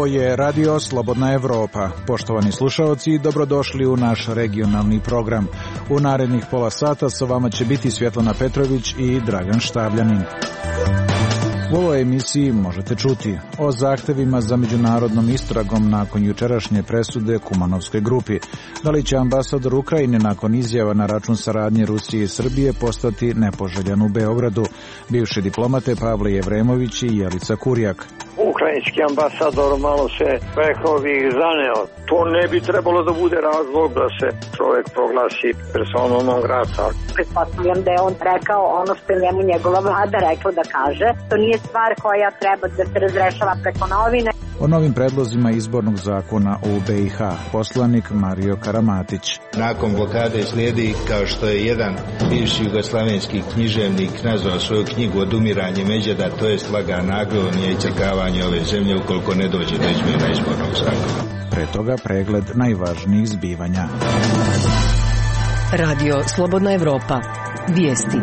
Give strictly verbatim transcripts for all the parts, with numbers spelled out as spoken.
Ovo je Radio Slobodna Evropa. Poštovani slušaoci, dobrodošli u naš regionalni program. U narednih pola sata sa vama će biti Svjetlana Petrović i Dragan Štavljanin. U ovoj emisiji možete čuti o zahtevima za međunarodnom istragom nakon jučerašnje presude Kumanovskoj grupi. Da li će ambasador Ukrajine nakon izjava na račun saradnje Rusije i Srbije postati nepoželjan u Beogradu? Bivši diplomate Pavle Jevremović i Jelica Kurjak. Ukrajinski ambasador malo se, rekao bih, zaneo. To ne bi trebalo da bude razlog da se čovjek proglasi personom non grata. Pretpostavljam da je on rekao ono što je njemu njegova vlada rekla da kaže. To nije stvar koja treba da se razrešava preko novine. O novim predlozima izbornog zakona u B i H, poslanik Mario Karamatić. Nakon blokade slijedi, kao što je jedan bivši jugoslavenski književnik nazvao svoju knjigu Odumiranje međeda, to je lagana agonija i crkavanje ove zemlje ukoliko ne dođe do izmjena izbornog zakona. Pre toga pregled najvažnijih zbivanja. Radio Slobodna Evropa. Vijesti.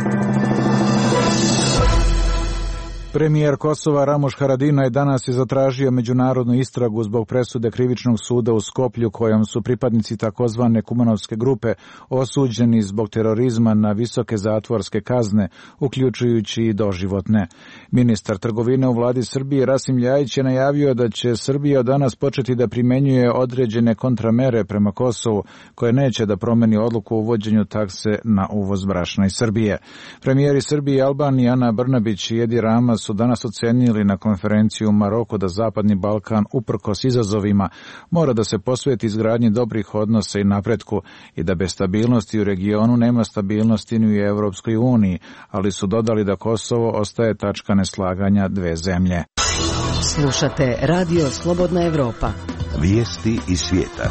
Premijer Kosova Ramuš Haradinaj danas je zatražio međunarodnu istragu zbog presude krivičnog suda u Skoplju kojom su pripadnici takozvane Kumanovske grupe osuđeni zbog terorizma na visoke zatvorske kazne, uključujući i doživotne. Ministar trgovine u vladi Srbije Rasim Ljajić je najavio da će Srbija danas početi da primenjuje određene kontramere prema Kosovu, koje neće da promeni odluku o uvođenju takse na uvoz brašna iz Srbije. Premijeri Srbije i Albanije Ana Brnabić i Edi Rama su danas ocenili na konferenciji u Maroku da Zapadni Balkan, uprkos izazovima, mora da se posveti izgradnji dobrih odnosa i napretku i da bez stabilnosti u regionu nema stabilnosti ni u Evropskoj uniji, ali su dodali da Kosovo ostaje tačka neslaganja dve zemlje. Slušate Radio Slobodna Evropa. Vijesti iz svijeta.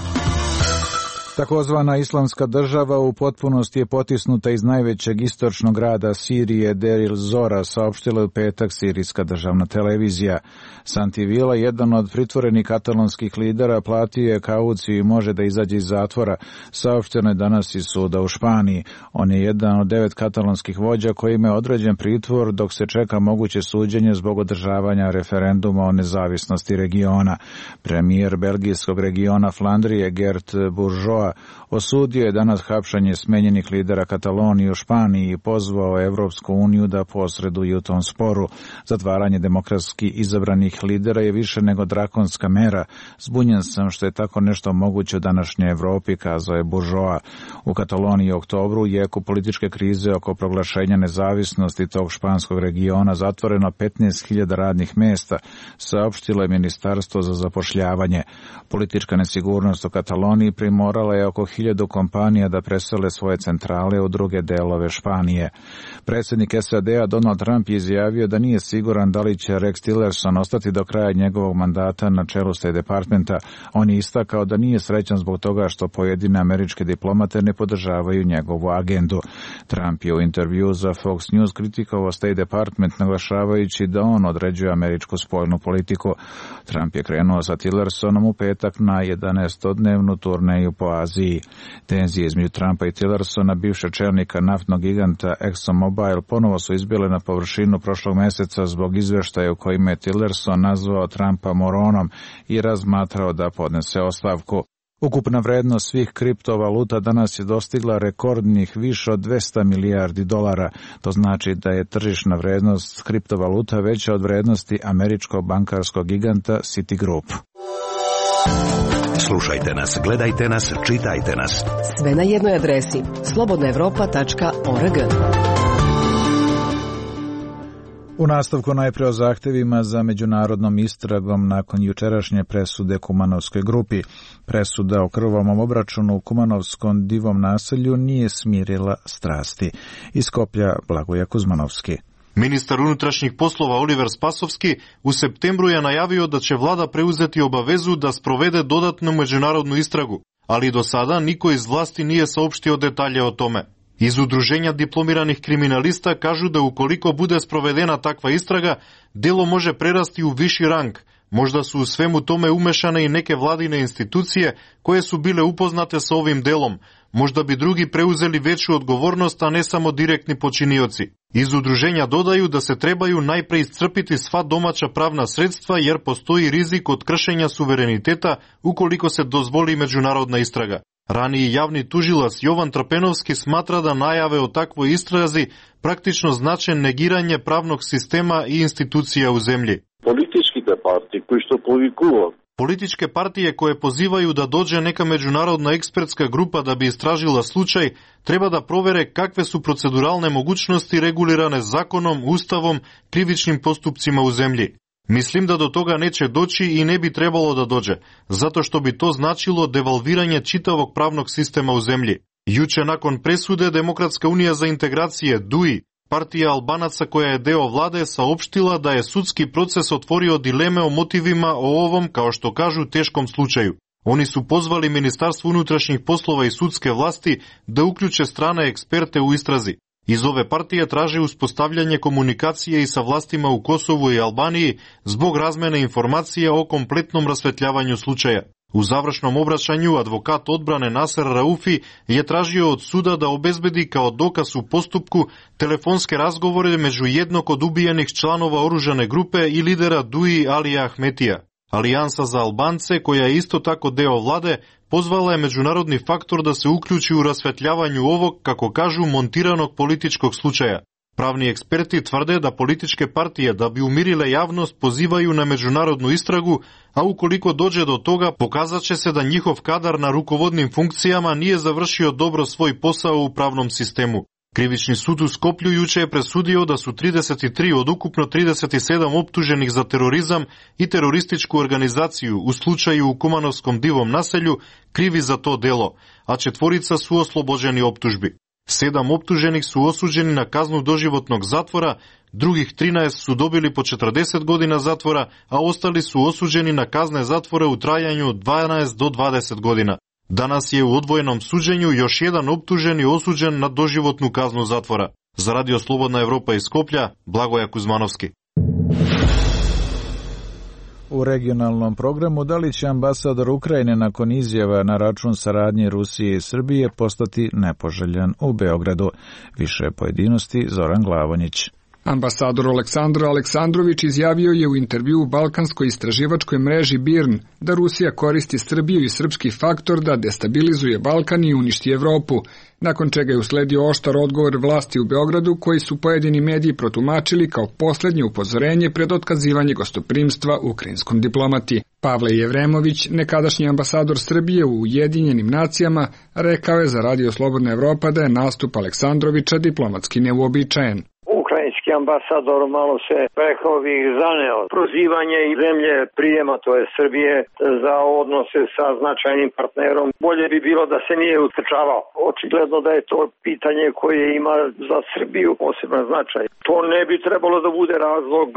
Takozvana islamska država u potpunosti je potisnuta iz najvećeg istočnog grada Sirije, Deir Zora, saopštila u petak sirijska državna televizija. Santi Vila, jedan od pritvorenih katalonskih lidera, platio je kauciju i može da izađe iz zatvora, saopšteno je danas iz suda u Španiji. On je jedan od devet katalonskih vođa kojima je određen pritvor dok se čeka moguće suđenje zbog održavanja referenduma o nezavisnosti regiona. Premijer belgijskog regiona Flandrije Gert Bourgeois osudio je danas hapšanje smenjenih lidera Katalonije u Španiji i pozvao Evropsku uniju da posreduje u tom sporu. Zatvaranje demokratski izabranih lidera je više nego drakonska mera. Zbunjen sam što je tako nešto moguće u današnjoj Evropi, kazao je Bourgeois. U Kataloniji u oktobru, u jeku političke krize oko proglašenja nezavisnosti tog španskog regiona, zatvoreno petnaest hiljada radnih mesta, saopštilo je Ministarstvo za zapošljavanje. Politička nesigurnost u Kataloniji primorala je oko hiljadu kompanija da presele svoje centrale u druge delove Španije. Predsjednik S A D-a Donald Trump je izjavio da nije siguran da li će Rex Tillerson ostati do kraja njegovog mandata na čelu State Departmenta. On je istakao da nije srećan zbog toga što pojedine američke diplomate ne podržavaju njegovu agendu. Trump je u intervju za Fox News kritikovao State Department, naglašavajući da on određuje američku spoljnu politiku. Trump je krenuo sa Tillersonom u petak na jedanaestodnevnu turneju po Aziji. Tenzije između Trumpa i Tillersona, bivšeg čelnika naftnog giganta ExxonMobil, ponovo su izbile na površinu prošlog meseca zbog izveštaja u kojima je Tillerson nazvao Trumpa moronom i razmatrao da podnese ostavku. Ukupna vrednost svih kriptovaluta danas je dostigla rekordnih više od dvesta milijardi dolara. To znači da je tržišna vrednost kriptovaluta veća od vrednosti američkog bankarskog giganta Citigroup. Slušajte nas, gledajte nas, čitajte nas. Sve na jednoj adresi slobodna evropa tačka org. U nastavku najpre o zahtevima za međunarodnom istragom nakon jučerašnje presude Kumanovskoj grupi. Presuda o krvavom obračunu u Kumanovskom divom naselju nije smirila strasti. Iz Skoplja Blagoje Kuzmanovski. Ministar unutrašnjih poslova Oliver Spasovski u septembru je najavio da će vlada preuzeti obavezu da sprovede dodatnu međunarodnu istragu, ali do sada niko iz vlasti nije saopštio detalje o tome. Iz udruženja diplomiranih kriminalista kažu da ukoliko bude sprovedena takva istraga, delo može prerasti u viši rang. Možda su u svemu tome umešane i neke vladine institucije koje su bile upoznate sa ovim delom. Možda bi drugi preuzeli veću odgovornost, a ne samo direktni počinioci. Iz udruženja dodaju da se trebaju najpre iscrpiti sva domaća pravna sredstva jer postoji rizik od kršenja suvereniteta ukoliko se dozvoli međunarodna istraga. Raniji javni tužilac Jovan Trpenovski smatra da najave o takvoj istrazi praktično znače negiranje pravnog sistema i institucija u zemlji. Političke partije koji što povikuju Političke partije koje pozivaju da dođe neka međunarodna ekspertska grupa da bi istražila slučaj, treba da provere kakve su proceduralne mogućnosti regulirane zakonom, ustavom, krivičnim postupcima u zemlji. Mislim da do toga neće doći i ne bi trebalo da dođe, zato što bi to značilo devalviranje čitavog pravnog sistema u zemlji. Juče nakon presude Demokratska unija za integracije D U I, partija Albanaca koja je deo vlade, saopštila da je sudski proces otvorio dileme o motivima o ovom, kao što kažu, teškom slučaju. Oni su pozvali Ministarstvo unutrašnjih poslova i sudske vlasti da uključe strane eksperte u istrazi. Iz ove partije traže uspostavljanje komunikacije i sa vlastima u Kosovu i Albaniji zbog razmene informacija o kompletnom rasvetljavanju slučaja. U završnom obraćanju advokat odbrane Naser Raufi je tražio od suda da obezbedi kao dokaz u postupku telefonske razgovore među jednog od ubijenih članova oružane grupe i lidera D U I Alija Ahmetija. Alijansa za Albance, koja je isto tako deo vlade, pozvala je međunarodni faktor da se uključi u rasvetljavanju ovog, kako kažu, montiranog političkog slučaja. Pravni eksperti tvrde da političke partije, da bi umirile javnost, pozivaju na međunarodnu istragu, a ukoliko dođe do toga, pokazat će se da njihov kadar na rukovodnim funkcijama nije završio dobro svoj posao u pravnom sistemu. Krivični sud u Skoplju juče je presudio da su trideset tri od ukupno trideset sedam optuženih za terorizam i terorističku organizaciju u slučaju u Kumanovskom Divom naselju krivi za to delo, a četvorica su oslobođeni optužbi. Sedam optuženih su osuđeni na kaznu doživotnog zatvora, drugih trinaest su dobili po četrdeset godina zatvora, a ostali su osuđeni na kazne zatvora u trajanju od dvanaest do dvadeset godina. Danas je u odvojenom suđenju još jedan optuženi osuđen na doživotnu kaznu zatvora. Za Radio Slobodna Evropa iz Skoplja, Blagoja Kuzmanovski. U regionalnom programu da li će ambasador Ukrajine nakon izjava na račun saradnje Rusije i Srbije postati nepoželjan u Beogradu? Više pojedinosti Zoran Glavonjić. Ambasador Aleksandar Aleksandrović izjavio je u intervjuu balkanskoj istraživačkoj mreži B I R N da Rusija koristi Srbiju i srpski faktor da destabilizuje Balkan i uništi Evropu, nakon čega je usledio oštar odgovor vlasti u Beogradu koji su pojedini mediji protumačili kao poslednje upozorenje pred otkazivanje gostoprimstva ukrajinskom diplomati. Pavle Jevremović, nekadašnji ambasador Srbije u Ujedinjenim nacijama, rekao je za Radio Slobodna Evropa da je nastup Aleksandrovića diplomatski neuobičajen. Ukrajinski ambasador malo se, rekao bih, zaneo prozivanje i zemlje prijema, to je Srbije, za odnose sa značajnim partnerom. Bolje bi bilo da se nije utrčavao. Očigledno da je to pitanje koje ima za Srbiju poseban značaj. To ne bi trebalo da bude razlog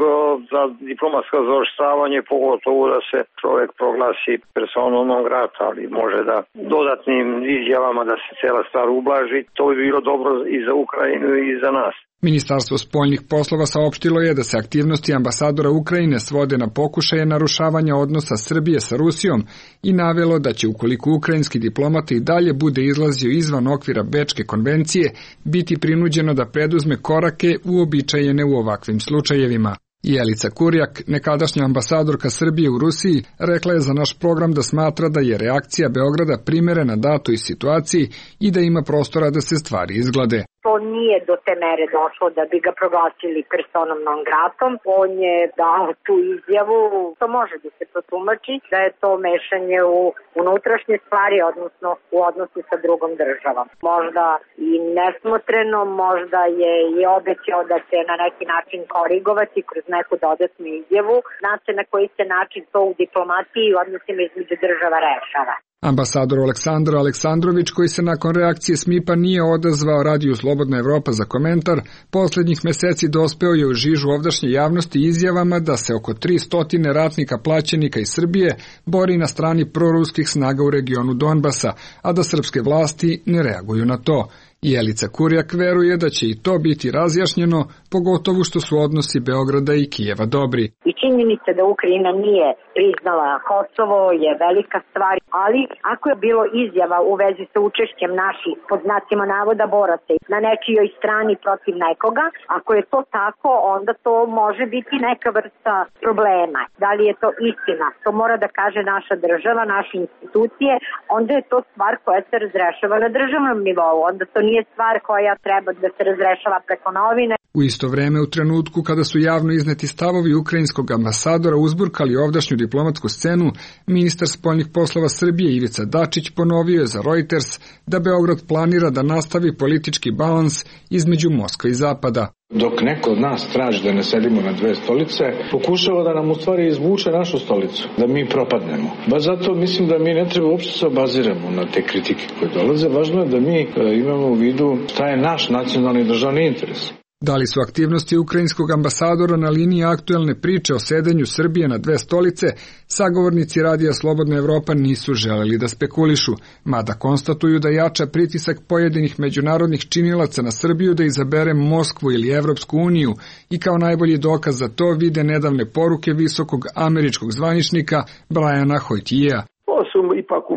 za diplomatsko zaoštravanje, pogotovo da se čovjek proglasi personom non grata, ali može da dodatnim izjavama da se cela stvar ublaži. To bi bilo dobro i za Ukrajinu i za nas. Ministarstvo spoljnih poslova saopštilo je da se aktivnosti ambasadora Ukrajine svode na pokušaje narušavanja odnosa Srbije sa Rusijom i navelo da će, ukoliko ukrajinski diplomata i dalje bude izlazio izvan okvira Bečke konvencije, biti prinuđeno da preduzme korake uobičajene u ovakvim slučajevima. Jelica Kurjak, nekadašnja ambasadorka Srbije u Rusiji, rekla je za naš program da smatra da je reakcija Beograda primerena datoj situaciji i da ima prostora da se stvari izglade. To nije do te mere došlo da bi ga proglasili personom non gratom. On je dao tu izjavu, to može da se protumači, da je to mešanje u unutrašnje stvari, odnosno u odnosu sa drugom državom. Možda i nesmotreno, možda je i obećao da će na neki način korigovati kroz neku dodatnu izjavu. Znate na koji se način to u diplomatiji i odnosima između država rešava. Ambasador Aleksandar Aleksandrović, koji se nakon reakcije S M I P-a nije odazvao Radiju Slobodna Evropa za komentar, poslednjih meseci dospeo je u žižu ovdašnje javnosti izjavama da se oko tristo ratnika plaćenika iz Srbije bori na strani proruskih snaga u regionu Donbasa, a da srpske vlasti ne reaguju na to. Jelica Kurjak veruje da će i to biti razjašnjeno, pogotovo što su odnosi Beograda i Kijeva dobri. I činjenica da Ukrajina nije priznala Kosovo je velika stvar, ali ako je bilo izjava u vezi sa učešćem naših, pod znacima navoda, boraca na nečijoj strani protiv nekoga, ako je to tako, onda to može biti neka vrsta problema. Da li je to istina? To mora da kaže naša država, naše institucije, onda je to stvar koja se razrešava na državnom nivou, onda to nije stvar koja treba da se razrešava preko novine. U isto vreme, u trenutku kada su javno izneti stavovi ukrajinskog ambasadora uzburkali ovdašnju diplomatsku scenu, ministar spoljnih poslova Srbije Ivica Dačić ponovio je za Reuters da Beograd planira da nastavi politički balans između Moskve i Zapada. Dok neko od nas traži da ne sedimo na dve stolice, pokušava da nam u stvari izvuče našu stolicu, da mi propadnemo. Baš zato mislim da mi ne treba uopšte se obaziramo na te kritike koje dolaze. Važno je da mi imamo u vidu šta je naš nacionalni državni interes. Da li su aktivnosti ukrajinskog ambasadora na liniji aktuelne priče o sedenju Srbije na dve stolice, sagovornici Radija Slobodna Evropa nisu želeli da spekulišu, mada konstatuju da jača pritisak pojedinih međunarodnih činilaca na Srbiju da izabere Moskvu ili Evropsku uniju i kao najbolji dokaz za to vide nedavne poruke visokog američkog zvaničnika Briana Hoytija. Ovo su ipak u,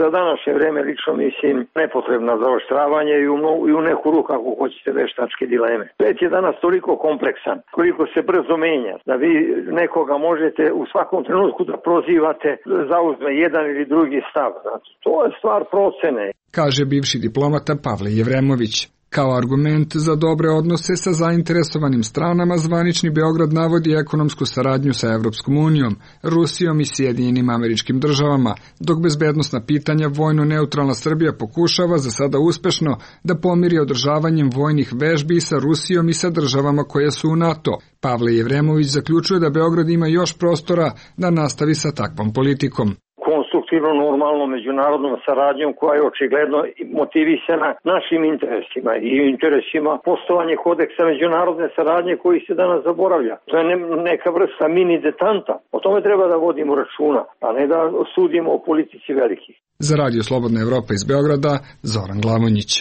za današnje vreme, lično mislim, nepotrebna zaoštravanje i u, i u neku ruku, ako hoćete, veštačke dileme. Svet je danas toliko kompleksan, koliko se brzo menja, da vi nekoga možete u svakom trenutku da prozivate, zauzme jedan ili drugi stav. Znači, to je stvar procene. Kaže bivši diplomata Pavle Jevremović. Kao argument za dobre odnose sa zainteresovanim stranama, zvanični Beograd navodi ekonomsku saradnju sa Evropskom unijom, Rusijom i Sjedinjenim Američkim Državama, dok bezbednosna pitanja vojno neutralna Srbija pokušava za sada uspešno da pomiri održavanjem vojnih vežbi sa Rusijom i sa državama koje su u NATO. Pavle Jevremović zaključuje da Beograd ima još prostora da nastavi sa takvom politikom. Konstruktivno, normalno, međunarodnom saradnjom koja je očigledno motivisana našim interesima i interesima postovanje kodeksa međunarodne saradnje koji se danas zaboravlja. To je neka vrsta mini detanta. O tome treba da vodimo računa, a ne da sudimo o politici velikih. Za Radio Slobodna Evropa iz Beograda, Zoran Glamonjić.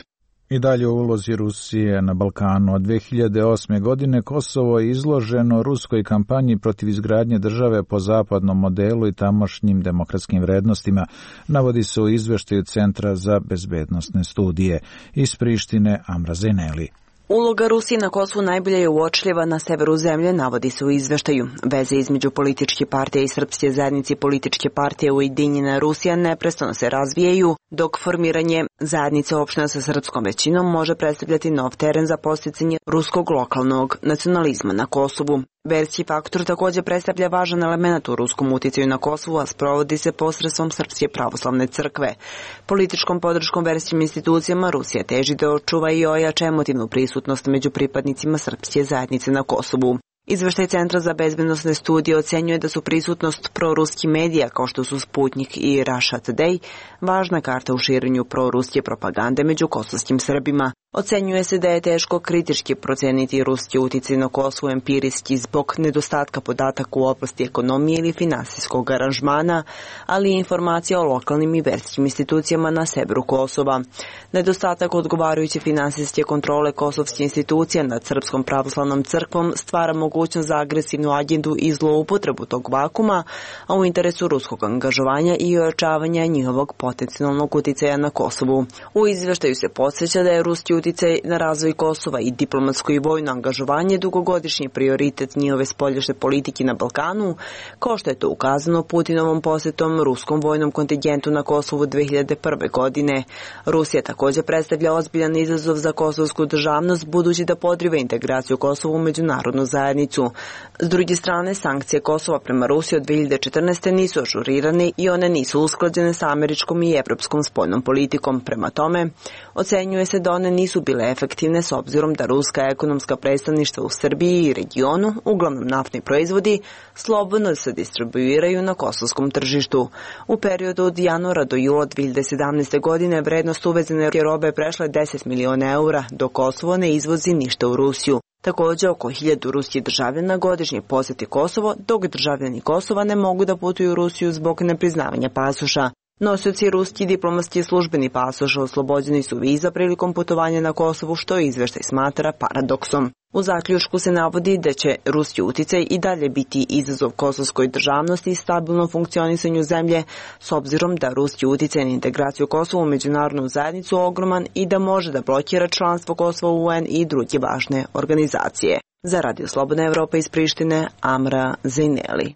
I dalje o ulozi Rusije na Balkanu. Od dve hiljade osme. godine Kosovo je izloženo ruskoj kampanji protiv izgradnje države po zapadnom modelu i tamošnjim demokratskim vrednostima, navodi se u izveštaju Centra za bezbednosne studije. Iz Prištine, Amra Zeneli. Uloga Rusije na Kosovu najbolje je uočljiva na severu zemlje, navodi se u izveštaju. Veze između političke partije i srpske zajednice i političke partije Ujedinjena Rusija neprestano se razvijaju, dok formiranje zajednice opština sa srpskom većinom može predstavljati nov teren za posticanje ruskog lokalnog nacionalizma na Kosovu. Verski faktor također predstavlja važan element u ruskom uticaju na Kosovu, a sprovodi se posredstvom Srpske pravoslavne crkve. Političkom podrškom verskim institucijama Rusija teži da očuva i ojača emotivnu prisutnost među pripadnicima srpske zajednice na Kosovu. Izveštaj Centra za bezbednosne studije ocenjuje da su prisutnost proruskih medija kao što su Sputnik i Russia Today važna karta u širenju proruske propagande među kosovskim Srbima. Ocenjuje se da je teško kritički proceniti ruski uticaj na Kosovu empirijski zbog nedostatka podataka u oblasti ekonomije ili finansijskog aranžmana, ali i informacija o lokalnim i verskim institucijama na severu Kosova. Nedostatak odgovarajuće finansijske kontrole kosovskih institucija nad Srpskom pravoslavnom crkvom stvara mogućnost za agresivnu agendu i zloupotrebu tog vakuma, a u interesu ruskog angažovanja i ojačavanja njihovog potencijalnog uticaja na Kosovu. U izveštaju se podsjeća da je ruski uticaj na razvoj Kosova i diplomatsko i vojno angažovanje dugogodišnji prioritet njihove spoljašnje politike na Balkanu, kao što je to ukazano Putinovom posjetom ruskom vojnom kontingentu na Kosovu dve hiljade prve. godine. Rusija također predstavlja ozbiljan izazov za kosovsku državnost, budući da podriva integraciju Kosova u međunarodnu zajednicu. S druge strane, sankcije Kosova prema Rusiji od dve hiljade četrnaeste. nisu ažurirane i one nisu usklađene sa američkom i evropskom spoljnom politikom. Prema tome, ocenjuje se da one nisu bile efektivne s obzirom da ruska ekonomska predstavništva u Srbiji i regionu, uglavnom naftni proizvodi, slobodno se distribuiraju na kosovskom tržištu. U periodu od januara do jula dve hiljade sedamnaeste. godine vrednost uvezene robe prešla je deset miliona eura, dok Kosovo ne izvozi ništa u Rusiju. Također, oko hiljadu ruskih državljana godišnje posjeti Kosovo, dok državljani Kosova ne mogu da putuju u Rusiju zbog nepriznavanja pasoša. Nosioci ruski diplomatski službeni pasoš oslobođeni su viza prilikom putovanja na Kosovu, što izveštaj smatra paradoksom. U zaključku se navodi da će ruski uticaj i dalje biti izazov kosovskoj državnosti i stabilnom funkcionisanju zemlje, s obzirom da ruski uticaj na integraciju Kosova u međunarodnu zajednicu ogroman i da može da blokira članstvo Kosova u U N i druge važne organizacije. Za Radio Slobodna Evropa iz Prištine, Amra Zejneli.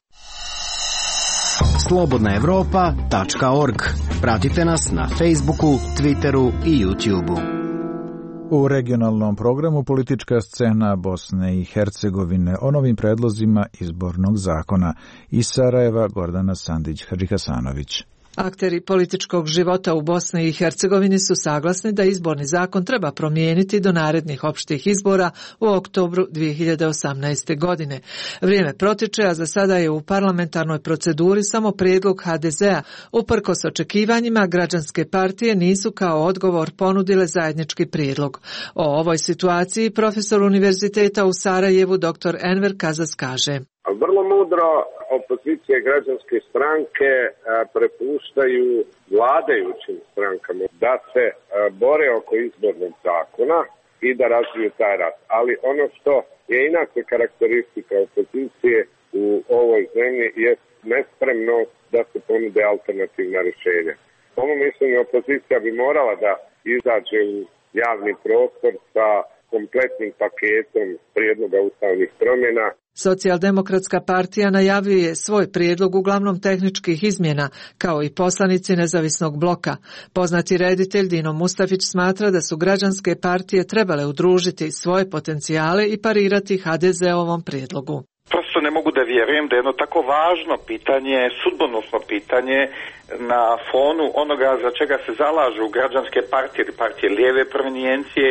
slobodna evropa tačka org. Pratite nas na Facebooku, Twitteru i YouTubeu. U regionalnom programu politička scena Bosne i Hercegovine o novim predlozima izbornog zakona. Iz Sarajeva Gordana Sandić-Hadžihasanović. Akteri političkog života u Bosni i Hercegovini su saglasni da izborni zakon treba promijeniti do narednih opštih izbora u oktobru dvije hiljade osamnaeste. godine. Vrijeme protiče, a za sada je u parlamentarnoj proceduri samo prijedlog ha de zea. Uprkos očekivanjima, građanske partije nisu kao odgovor ponudile zajednički prijedlog. O ovoj situaciji profesor Univerziteta u Sarajevu dr Enver Kazas kaže: Vrlo mudro opozicije i građanske stranke prepuštaju vladajućim strankama da se bore oko izbornog zakona i da razviju taj rat. Ali ono što je inače karakteristika opozicije u ovoj zemlji je nespremnost da se ponude alternativna rješenja. Po mom mišljenju opozicija bi morala da izađe u javni prostor sa kompletnim paketom prijedloga ustavnih promjena. Socijaldemokratska partija najavljuje svoj prijedlog uglavnom tehničkih izmjena, kao i poslanici nezavisnog bloka. Poznati reditelj Dino Mustafić smatra da su građanske partije trebale udružiti svoje potencijale i parirati ha de zeovom prijedlogu. Prosto ne mogu da vjerujem da je jedno tako važno pitanje, sudbonosno pitanje na fonu onoga za čega se zalažu građanske partije ili partije lijeve provenijencije,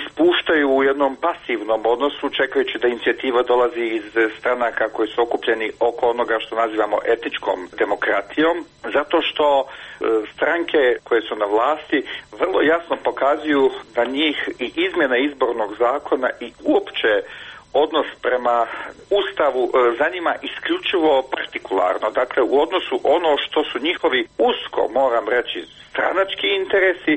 ispuštaju u jednom pasivnom odnosu čekajući da inicijativa dolazi iz stranaka koji su okupljeni oko onoga što nazivamo etičkom demokratijom, zato što stranke koje su na vlasti vrlo jasno pokazuju da njih i izmjena izbornog zakona i uopće odnos prema Ustavu zanima isključivo partikularno, dakle u odnosu ono što su njihovi usko, moram reći, stranački interesi,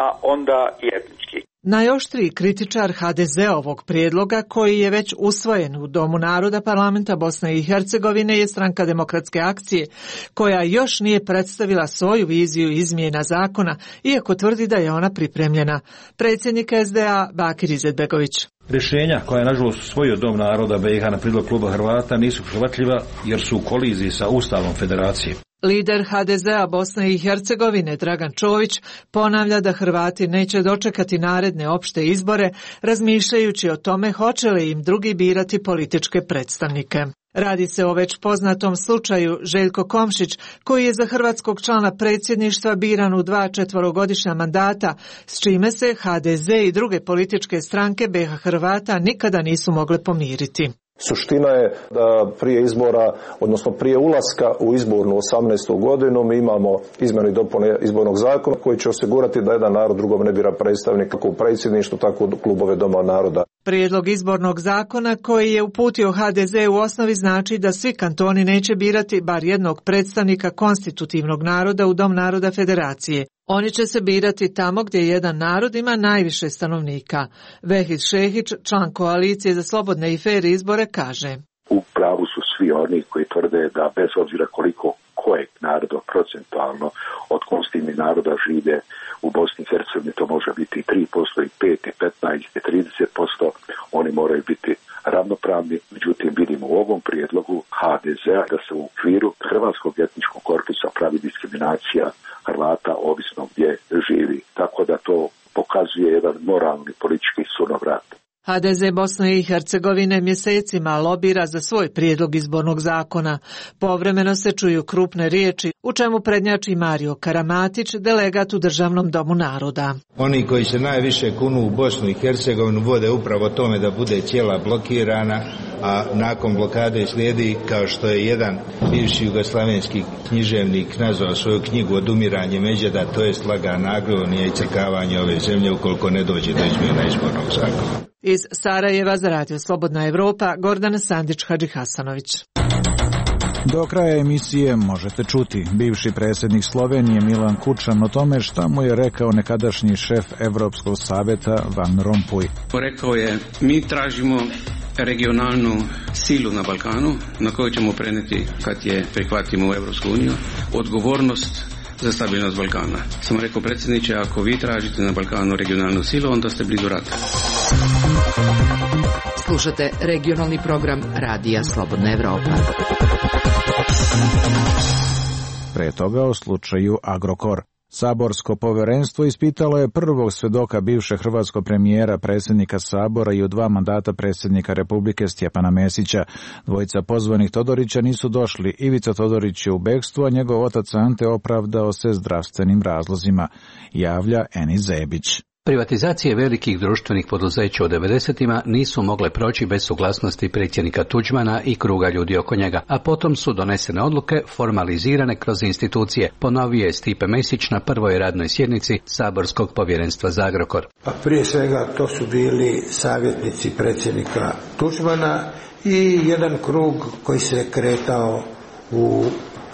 a onda i etnički. Najoštriji kritičar ha de zeovog prijedloga, koji je već usvojen u Domu naroda parlamenta Bosne i Hercegovine, je Stranka demokratske akcije, koja još nije predstavila svoju viziju izmjena zakona, iako tvrdi da je ona pripremljena. Predsjednik es de a Bakir Izetbegović. Rješenja koja je nažalost usvojio Dom naroda be i ha na prijedlog kluba Hrvata nisu prihvatljiva jer su u koliziji sa Ustavom Federacije. Lider ha de zea Bosne i Hercegovine Dragan Čović ponavlja da Hrvati neće dočekati naredne opšte izbore, razmišljajući o tome hoće li im drugi birati političke predstavnike. Radi se o već poznatom slučaju Željko Komšić, koji je za hrvatskog člana predsjedništva biran u dva četverogodišnja mandata, s čime se ha de ze i druge političke stranke be ha Hrvata nikada nisu mogle pomiriti. Suština je da prije izbora, odnosno prije ulaska u izbornu osamnaestu godinu, mi imamo izmjene i dopune izbornog zakona koji će osigurati da jedan narod drugom ne bira predstavnik kako u predsjedništvu, tako u klubove Doma naroda. Prijedlog izbornog zakona koji je uputio ha de ze u osnovi znači da svi kantoni neće birati bar jednog predstavnika konstitutivnog naroda u Dom naroda Federacije. Oni će se birati tamo gdje jedan narod ima najviše stanovnika. Vehid Šehić, član koalicije za slobodne i fer izbore, kaže: U pravu su svi oni koji tvrde da bez obzira koliko kojeg naroda procentualno od konstitutivnih naroda žive u Bosni i Hercegovini, to može biti tri posto i pet i petnaest i trideset posto, oni moraju biti ravnopravni. Međutim, vidimo u ovom prijedlogu ha de zea da se u okviru hrvatskog etničkog korpusa pravi diskriminacija Hrvata ovisno gdje živi. Tako da to pokazuje jedan moralni politički sunovrat. ha de ze Bosne i Hercegovine mjesecima lobira za svoj prijedlog izbornog zakona. Povremeno se čuju krupne riječi, u čemu prednjači Mario Karamatić, delegat u Državnom domu naroda. Oni koji se najviše kunu u Bosnu i Hercegovinu vode upravo tome da bude cijela blokirana, a nakon blokade slijedi, kao što je jedan bivši jugoslavenski književnik nazvao svoju knjigu Odumiranje Međeda, to jest lagana agonija i crkavanje ove zemlje ukoliko ne dođe do izmjena izbornog zakona. Iz Sarajeva za Radio Slobodna Evropa, Gordana Sandić-Hadžihasanović. Do kraja emisije možete čuti bivši predsjednik Slovenije Milan Kučan o tome šta mu je rekao nekadašnji šef Evropskog savjeta Van Rompuy. Rekao je, mi tražimo regionalnu silu na Balkanu na koju ćemo preneti kad je prihvatimo u Evropsku uniju odgovornost za stabilnost Balkana. Sam rekao, predsjedniče, ako vi tražite na Balkanu regionalnu silu, onda ste blizu rata. Slušate regionalni program Radija Slobodna Evropa. Pre toga o slučaju Agrokor. Saborsko povjerenstvo ispitalo je prvog svedoka bivšeg hrvatskog premijera, predsjednika Sabora i u dva mandata predsjednika Republike Stjepana Mesića. Dvojica pozvanih Todorića nisu došli. Ivica Todorić je u bekstvu, a njegov otac Ante opravdao se zdravstvenim razlozima, javlja Eni Zebić. Privatizacije velikih društvenih poduzeća u devedesetima nisu mogle proći bez suglasnosti predsjednika Tuđmana i kruga ljudi oko njega, a potom su donesene odluke formalizirane kroz institucije, ponovio je Stipe Mesić na prvoj radnoj sjednici Saborskog povjerenstva za Agrokor. Pa prije svega to su bili savjetnici predsjednika Tuđmana i jedan krug koji se kretao u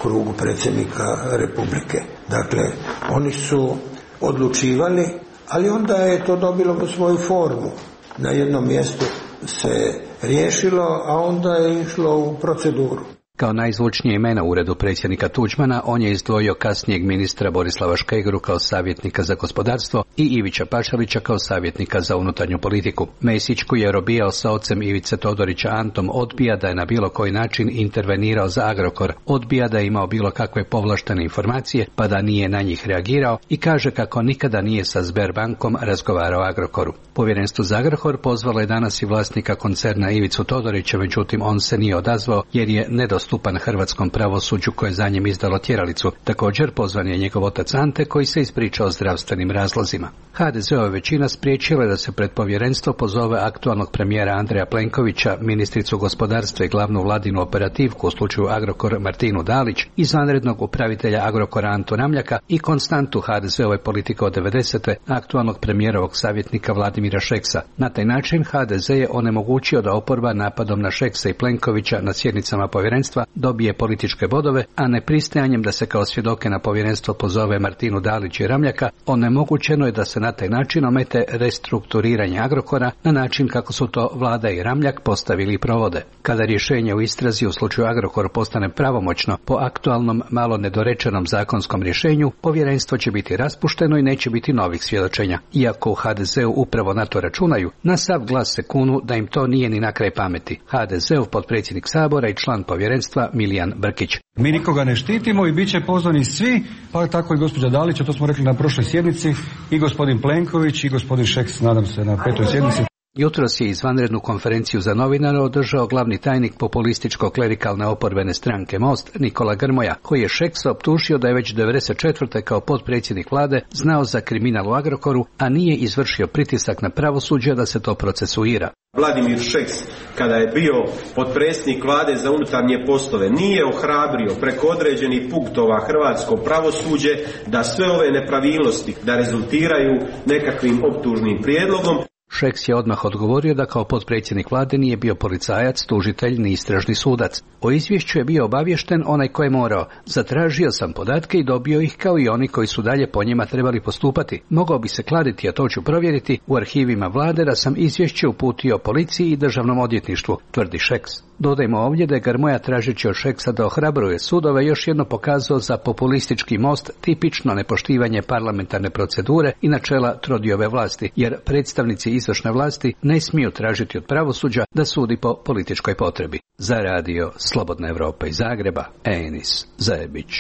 krugu predsjednika Republike. Dakle, oni su odlučivali, ali onda je to dobilo svoju formu. Na jednom mjestu se riješilo, a onda je išlo u proceduru. Kao najzvučnije imena u uredu predsjednika Tuđmana, on je izdvojio kasnijeg ministra Borislava Škegru kao savjetnika za gospodarstvo i Ivića Pašalića kao savjetnika za unutarnju politiku. Mesić, koji je robijao sa ocem Ivice Todorića Antom, odbija da je na bilo koji način intervenirao za Agrokor, odbija da je imao bilo kakve povlaštene informacije, pa da nije na njih reagirao i kaže kako nikada nije sa Sberbankom razgovarao o Agrokoru. Povjerenstvo za Agrokor pozvalo je danas i vlasnika koncerna Ivicu Todorića, međutim on se nije odazvao jer je nedostupan hrvatskom pravosuđu koje je za njim izdalo tjeralicu. Također pozvan je njegov otac Ante, koji se ispričao zdravstvenim razlozima. ha de ze-ova većina spriječila da se pred povjerenstvo pozove aktualnog premijera Andreja Plenkovića, ministricu gospodarstva i glavnu vladinu operativku u slučaju Agrokor Martinu Dalić, izvanrednog upravitelja Agrokora Antu Ramljaka i konstantu ha de ze-ove politike od devedesete aktualnog premijerovog savjetnika Vladimira Šeksa. Na taj način ha de ze je onemogućio da oporba napadom na Šeksa i Plenkovića na sjednicama povjerenstva dobije političke bodove, a nepristajanjem da se kao svjedoke na povjerenstvo pozove Martinu Dalić i Ramljaka, onemogućeno je da se na taj način omete restrukturiranje Agrokora na način kako su to Vlada i Ramljak postavili i provode. Kada rješenje u istrazi u slučaju Agrokor postane pravomoćno po aktualnom malo nedorečenom zakonskom rješenju, povjerenstvo će biti raspušteno i neće biti novih svjedočenja. Iako u ha de ze-u upravo na to računaju, na sav glas se kunu da im to nije ni na kraj pameti. ha de ze-ov potpredsjednik Sabora i član povjerenstva Milijan Brkić. Mi nikoga ne štitimo i bit će pozvani svi, pa tako i gospođa Dalić, a to smo rekli na prošloj sjednici, i gospodin Plenković i gospodin Šeks, nadam se, na petoj sjednici. Jutros je izvanrednu konferenciju za novinare održao glavni tajnik populističko-klerikalne oporbene stranke Most, Nikola Grmoja, koji je Šeksa optužio da je već devedeset četvrte kao potpredsjednik vlade znao za kriminal u Agrokoru, a nije izvršio pritisak na pravosuđe da se to procesuira. Vladimir Šeks, kada je bio potpredsjednik vlade za unutarnje poslove, nije ohrabrio preko određenih punktova hrvatsko pravosuđe da sve ove nepravilnosti da rezultiraju nekakvim optužnim prijedlogom. Šeks je odmah odgovorio da kao potpredsjednik vlade nije bio policajac, tužitelj ni istražni sudac. O izvješću je bio obaviješten onaj ko je morao. Zatražio sam podatke i dobio ih kao i oni koji su dalje po njima trebali postupati. Mogao bi se kladiti, a to ću provjeriti, u arhivima vlade da sam izvješće uputio policiji i državnom odvjetništvu, tvrdi Šeks. Dodajmo ovdje da je Grmoja, tražeći od Šeksa da ohrabruje sudove, još jedno pokazao za populistički Most tipično nepoštivanje parlamentarne procedure i načela trodiobe vlasti, jer predstavnici izvršne vlasti ne smiju tražiti od pravosuđa da sudi po političkoj potrebi. Za radio Slobodna Evropa iz Zagreba, Enis Zajebić.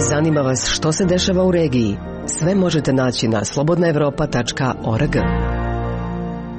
Zanima vas što se dešava u regiji? Sve možete naći na slobodna evropa tačka org.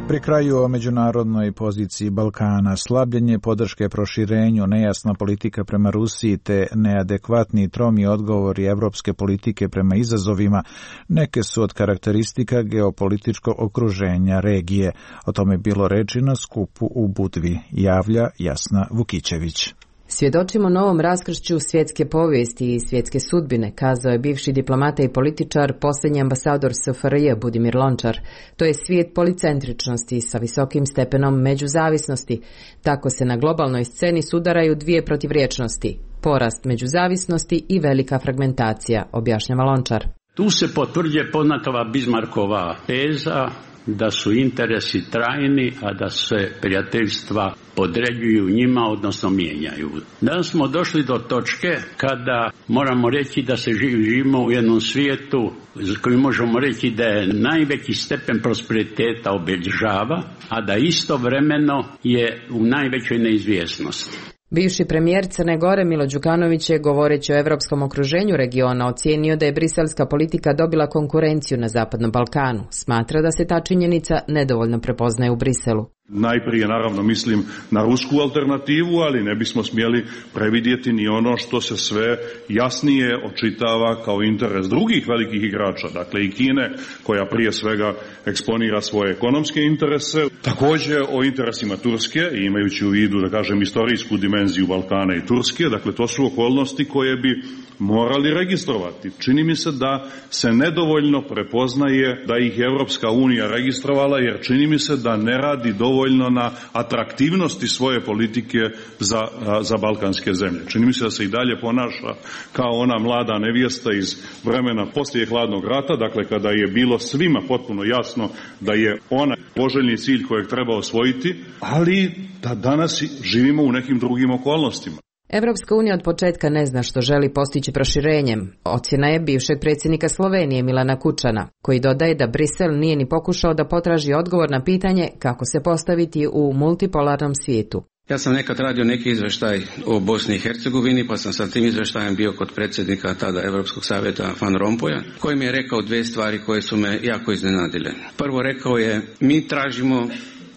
Pri kraju o međunarodnoj poziciji Balkana, slabljenje podrške proširenju, nejasna politika prema Rusiji te neadekvatni tromi odgovori evropske politike prema izazovima neke su od karakteristika geopolitičkog okruženja regije. O tome je bilo reči na skupu u Budvi, javlja Jasna Vukićević. Svjedočimo novom raskršću svjetske povijesti i svjetske sudbine, kazao je bivši diplomata i političar, posljednji ambasador es ef er je Budimir Lončar. To je svijet policentričnosti sa visokim stepenom međuzavisnosti. Tako se na globalnoj sceni sudaraju dvije protivriječnosti. porast međuzavisnosti i velika fragmentacija, objašnjava Lončar. Tu se potvrđuje poznatova Bismarckova teza da su interesi trajni, a da se prijateljstva podređuju njima, odnosno mijenjaju. Danas smo došli do točke kada moramo reći da se živimo u jednom svijetu za koji možemo reći da je najveći stepen prosperiteta obilježava, a da istovremeno je u najvećoj neizvjesnosti. Bivši premijer Crne Gore Milo Đukanović je, govoreći o evropskom okruženju regiona, ocijenio da je briselska politika dobila konkurenciju na Zapadnom Balkanu. Smatra da se ta činjenica nedovoljno prepoznaje u Briselu. Najprije naravno mislim na rusku alternativu, ali ne bismo smjeli previdjeti ni ono što se sve jasnije očitava kao interes drugih velikih igrača, dakle i Kine, koja prije svega eksponira svoje ekonomske interese, također o interesima Turske, imajući u vidu, da kažem, istorijsku dimenziju Balkana i Turske, dakle to su okolnosti koje bi morali registrovati. Čini mi se da se nedovoljno prepoznaje da ih je Europska unija registrovala, jer čini mi se da ne radi dovoljno na atraktivnosti svoje politike za, za balkanske zemlje. Čini mi se da se i dalje ponaša kao ona mlada nevjesta iz vremena poslije hladnog rata, dakle kada je bilo svima potpuno jasno da je ona poželjni cilj kojeg treba osvojiti, ali da danas živimo u nekim drugim okolnostima. Evropska unija od početka ne zna što želi postići proširenjem. Ocjena je bivšeg predsjednika Slovenije Milana Kučana, koji dodaje da Brisel nije ni pokušao da potraži odgovor na pitanje kako se postaviti u multipolarnom svijetu. Ja sam nekad radio neki izveštaj o Bosni i Hercegovini, pa sam sa tim izveštajem bio kod predsjednika tada Europskog savjeta Van Rompuya, koji mi je rekao dvije stvari koje su me jako iznenadile. Prvo, rekao je, mi tražimo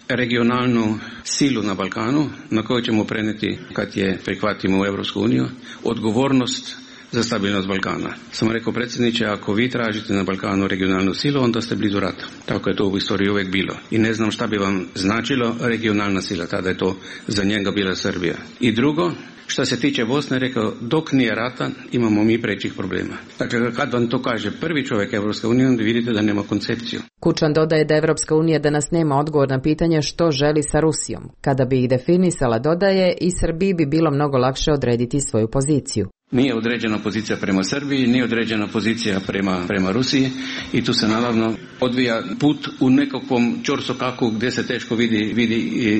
regionalnu silu na Balkanu na koju ćemo prenijeti kad je prihvatimo u Europsku uniju odgovornost za stabilnost Balkana. Sam rekao, predsjedniče, ako vi tražite na Balkanu regionalnu silu, onda ste blizu rata. Tako je to u istoriji uvijek bilo. I ne znam šta bi vam značilo regionalna sila, tada je to za njega bila Srbija. I drugo, što se tiče Bosne, rekao, dok nije rata, imamo mi prećih problema. Dakle, kad vam to kaže prvi čovjek Evropske unije, onda vidite da nema koncepciju. Kučan dodaje da Evropska unija danas nema odgovor na pitanje što želi sa Rusijom. Kada bi ih definisala, dodaje, i Srbiji bi bilo mnogo lakše odrediti svoju poziciju. Nije određena pozicija prema Srbiji, nije određena pozicija prema, prema Rusiji i tu se naravno odvija put u nekakvom čorsokaku gdje se teško vidi, vidi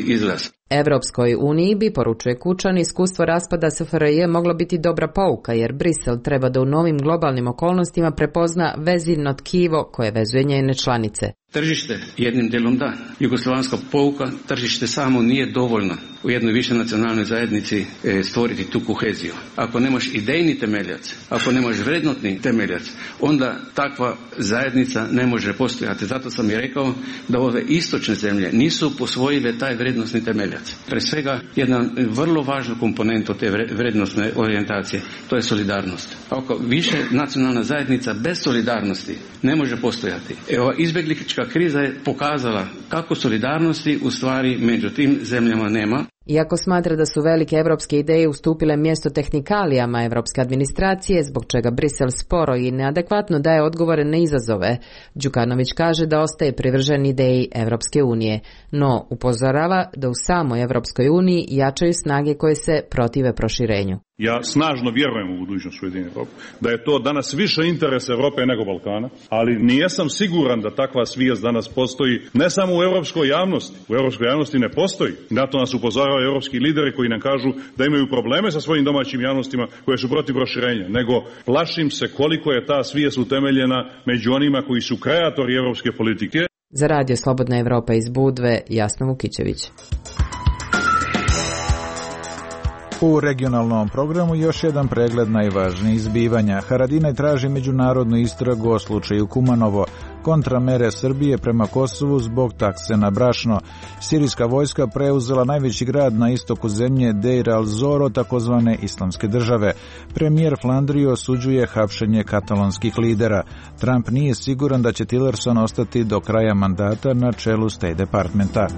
izlaz. Evropskoj uniji bi, poručuje Kučan, iskustvo raspada S F R J moglo biti dobra pouka, jer Brisel treba da u novim globalnim okolnostima prepozna vezivno tkivo koje vezuje njene članice. Tržište jednim delom da. Jugoslavanska pouka, tržište samo nije dovoljno u jednoj više nacionalnoj zajednici e, stvoriti tu koheziju. Ako nemaš idejni temeljac, ako nemaš vrednotni temeljac, onda takva zajednica ne može postojati. Zato sam i rekao da ove istočne zemlje nisu posvojile taj vrednostni temeljac. Pre svega, jedna vrlo važna komponenta te vrednostne orijentacije, to je solidarnost. Ako više nacionalna zajednica bez solidarnosti ne može postojati. Evo, izbjeglička kriza je pokazala kako solidarnosti u stvari među tim zemljama nema. Iako smatra da su velike evropske ideje ustupile mjesto tehnikalijama evropske administracije, zbog čega Brisel sporo i neadekvatno daje odgovore na izazove, Đukanović kaže da ostaje privržen ideji Evropske unije, no upozorava da u samoj Evropskoj uniji jačaju snage koje se protive proširenju. Ja snažno vjerujem u budućnost Ujedinjene Europe, da je to danas više interes Europe nego Balkana, ali nijesam siguran da takva svijest danas postoji ne samo u europskoj javnosti. U europskoj javnosti ne postoji. Na to nas upozoravaju europski lideri koji nam kažu da imaju probleme sa svojim domaćim javnostima koje su protiv proširenja, nego plašim se koliko je ta svijest utemeljena među onima koji su kreatori europske politike. Za Radio Slobodna Evropa iz Budve, Jasna Vukićević. U regionalnom programu još jedan pregled najvažnijih zbivanja. Haradinaj traži međunarodnu istragu o slučaju Kumanovo, kontramere Srbije prema Kosovu zbog takse na brašno. Sirijska vojska preuzela najveći grad na istoku zemlje Deir al-Zoro, takozvane islamske države. Premijer Flandrije osuđuje hapšenje katalonskih lidera. Trump nije siguran da će Tillerson ostati do kraja mandata na čelu State Departmenta.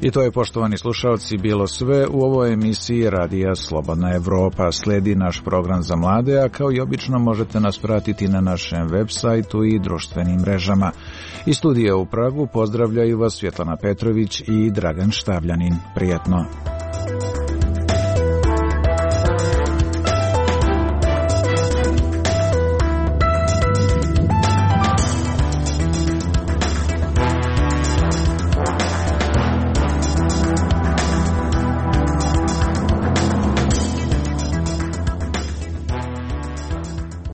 I to je, poštovani slušalci, bilo sve u ovoj emisiji Radija Slobodna Evropa. Sledi naš program za mlade, a kao i obično možete nas pratiti na našem web sajtu i društvenim mrežama. Iz studija u Pragu pozdravljaju vas Svjetlana Petrović i Dragan Štavljanin. Prijatno.